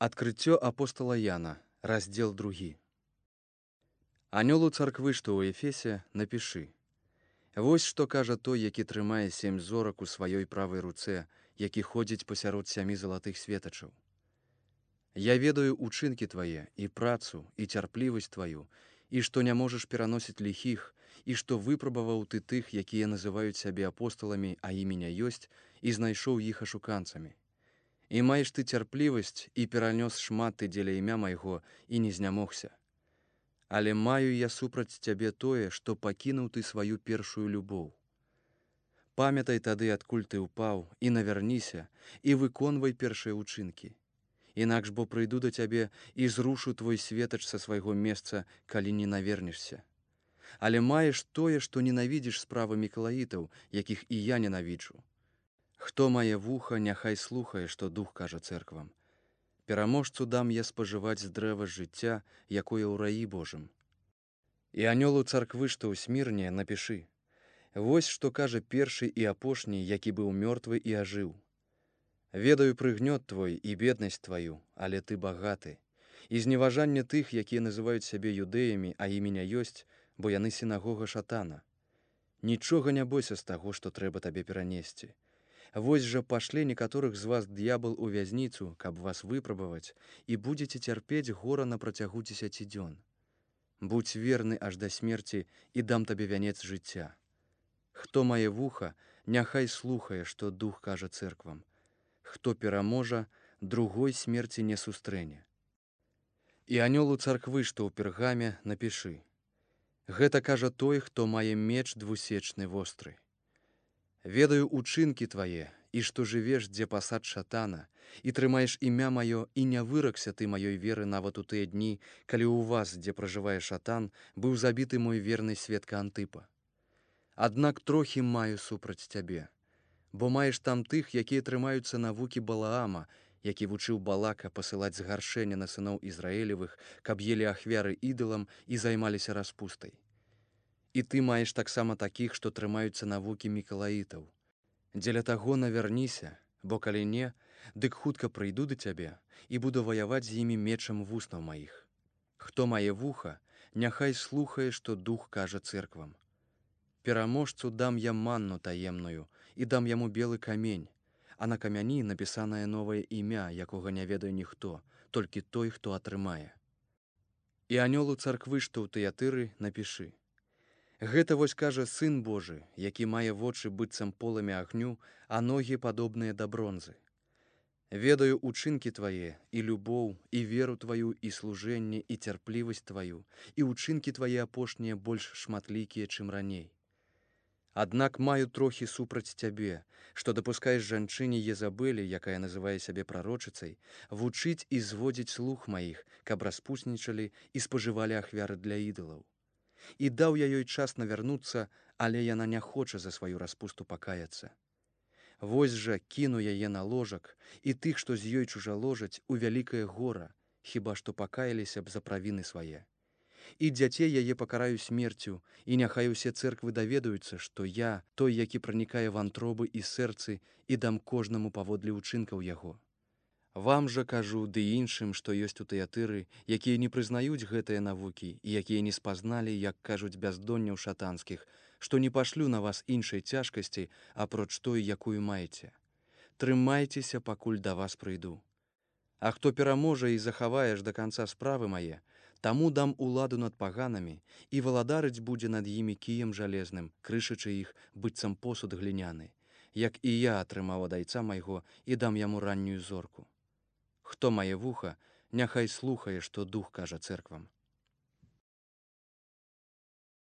Адкрыццё апостала Яна, раздзел 2. Анёлу царквы, што ў Эфесе, напішы: Вось што кажа той, які трымае 7 зорак у сваёй правай руцэ, які ходзіць пасярод 7 залатых светачаў. Я ведаю учынкі твае, і працу, і цярплівасць тваю, і што не можаш пераносіць ліхіх, і што выпрабаваў ты тых, якія называюць сябе апосталамі, а імення ёсць, і знайшоў іх ашуканцамі. І маеш ты цярплівасць, і перанёс шмат ты дзеля імя майго, і не знямогся. Але маю я супраць цябе тое, што пакінуў ты сваю першую любоў. Памятай тады, адкуль ты ўпаў, і навярніся, і выконвай першыя ўчынкі. Інакш бо прыйду да цябе і зрушу твой светач са свайго месца, калі не навернешся. Але маеш тое, што ненавідзіш справы мікалаітаў, якіх і я ненавіджу. Хто мае вуха, няхай слухае, што дух кажа цэрквам. Пераможцу дам я спажываць з дрэва жыцця, якое ў раі Божым. І анёлу царквы, што ў Смірне, напішы: Вось што кажа першы і апошні, які быў мёртвы і ажыў. Ведаю прыгнёт твой і беднасць тваю, але ты багаты, і зневажанне тых, якія называюць сябе юдэямі, а імення ёсць, бо яны сінагога шатана. Нічога не бойся з таго, што трэба табе перанесці. Вось жа пашле некаторых з вас д'ябал у вязніцу, каб вас выпрабаваць, і будзеце цярпець гора на працягу 10 дзён. Будзь верны аж да смерці, і дам табе вянец жыцця. Хто мае вуха, няхай слухае, што дух кажа цэрквам. Хто пераможа, другой смерці не сустрэне. І анёлу царквы, што ў Пергаме, напішы: Гэта кажа той, хто мае меч двусечны востры. Ведаю учынкі твае, і што жывеш, дзе пасад шатана, і трымаеш імя маё, і не выракся ты маёй веры нават у тыя дні, калі ў вас, дзе пражывае шатан, быў забіты мой верны сведка Антыпа. Аднак трохі маю супраць цябе, бо маеш там тых, якія трымаюцца навукі Балаама, які вучыў Балака пасылаць згаршэнне на сыноў Ізраілевых, каб елі ахвяры ідалам і займаліся распустай. І ты маеш таксама такіх, што трымаюцца навукі мікалаітаў. Дзеля таго навярніся, бо калі не, дык хутка прыйду да цябе і буду ваяваць з імі мечам вуснаў маіх. Хто мае вуха, няхай слухае, што дух кажа цэрквам. Пераможцу дам я манну таемную, і дам яму белы камень, а на камяні напісанае новае імя, якога не ведае ніхто, толькі той, хто атрымае. І анёлу царквы, што ў Тыятыры, напішы: Гэта вось кажа Сын Божы, які мае вочы быццам полымя агню, а ногі падобныя да бронзы. Ведаю учынкі твае, і любоў, і веру тваю, і служэнне, і цярплівасць тваю, і учынкі твае апошнія больш шматлікія, чым раней. Аднак маю трохі супраць цябе, што дапускаеш жанчыне Езабелі, якая называе сябе прарочыцай, вучыць і зводзіць слух маіх, каб распуснічалі і спажывалі ахвяры для ідалаў. І даў я ёй час навярнуцца, але яна не хоча за сваю распусту пакаяцца. Вось жа кіну яе на ложак, і тых, што з ёй чужаложаць, у вялікае гора, хіба што пакаяліся б за правіны свае. І дзяцей яе пакараю смерцю, і няхай усе цэрквы даведаюцца, што я, той, які пранікае вантробы і сэрцы, і дам кожнаму паводле ўчынкаў яго. Вам жа кажу, ды іншым, што ёсць у Тыятыры, якія не прызнаюць гэтыя навукі, і якія не спазналі, як кажуць бяздонняў шатанскіх, што не пашлю на вас іншай цяжкасці, апроч той, якую маеце. Трымайцеся, пакуль да вас прыйду. А хто пераможа і захаваеш да канца справы мае, таму дам уладу над паганамі, і валадарыць будзе над імі кіем жалезным, крышачы іх, быццам посуд гліняны, як і я атрымаў ад айца майго і дам яму раннюю зорку. Хто мае вуха, няхай слухае, што дух кажа цэрквам.